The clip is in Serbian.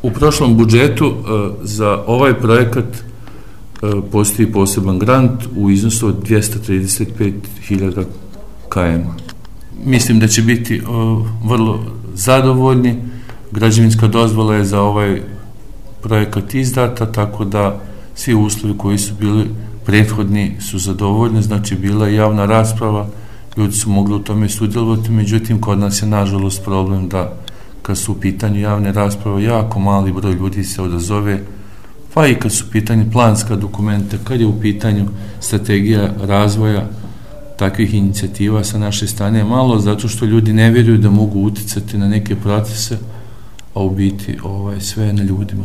U prošlom budžetu za ovaj projekat postoji poseban grant u iznosu od 235.000 km. Mislim da će biti vrlo zadovoljni. Građevinska dozvola je za ovaj projekat izdata, tako da svi uslovi koji su bili prethodni su zadovoljni, znači bila je javna rasprava, ljudi su mogli u tome sudjelovati, međutim kod nas je nažalost problem da kad su u pitanju javne rasprave jako mali broj ljudi se odazove, pa i kad su u pitanju planska dokumenta, kad je u pitanju strategija razvoja takvih inicijativa sa naše strane je malo, zato što ljudi ne vjeruju da mogu uticati na neke procese, a u biti sve je na ljudima.